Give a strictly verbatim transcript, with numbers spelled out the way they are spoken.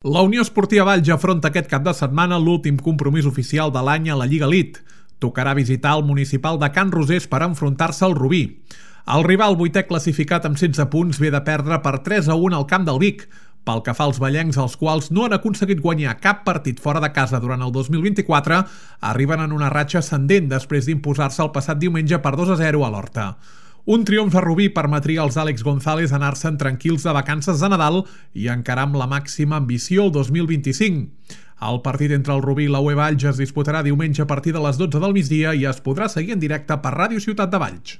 La Unió Esportiva Valls afronta aquest cap de setmana l'últim compromís oficial de l'any a la Lliga Elite. Tocarà visitar el municipal de Can Rosés per enfrontar-se al Rubí. El rival vuitè classificat amb setze punts ve de perdre per tres a un al camp del Vic. Pel que fa als vallencs, els quals no han aconseguit guanyar cap partit fora de casa durant el dos mil vint-i-quatre, arriben en una ratxa ascendent després d'imposar-se el passat diumenge per dos a zero a l'Horta. Un triomf a Rubí permetria als Àlex González anar-se'n tranquils de vacances de Nadal i encarar amb la màxima ambició el dos mil vint-i-cinc. El partit entre el Rubí i la U E Valls es disputarà diumenge a partir de les dotze del migdia i es podrà seguir en directe per Ràdio Ciutat de Valls.